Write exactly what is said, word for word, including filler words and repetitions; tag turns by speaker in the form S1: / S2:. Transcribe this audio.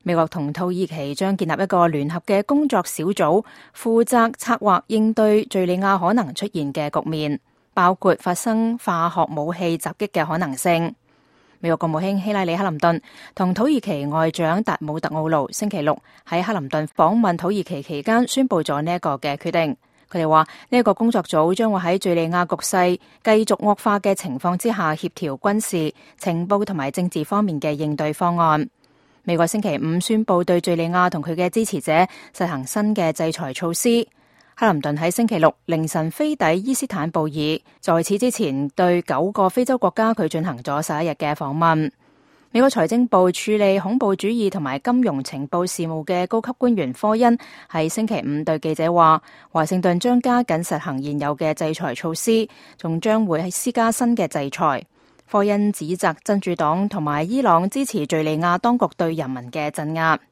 S1: 美國同土耳其將建立一個聯合嘅工作小組，負責策劃應對敘利亞可能出現嘅局面，包括發生化學武器襲擊嘅可能性。美國國務卿希拉里克林頓同土耳其外長達姆特奧盧星期六喺克林頓訪問土耳其期間宣布咗呢一個嘅決定。佢哋話呢一個工作組將會喺敘利亞局勢繼續惡化嘅情況之下，協調軍事、情報同埋政治方面嘅應對方案。美國星期五宣布對敘利亞同佢嘅支持者實行新嘅制裁措施。克林頓喺星期六凌晨飛抵伊斯坦布爾，在此之前對九個非洲國家佢進行咗十一日嘅訪問。美國財政部處理恐怖主義同埋金融情報事務嘅高級官員科恩喺星期五對記者話，華盛頓將加緊實行現有嘅制裁措施，仲將會施加新嘅制裁。科恩指責真主黨同埋伊朗支持敘利亞當局對人民嘅鎮壓。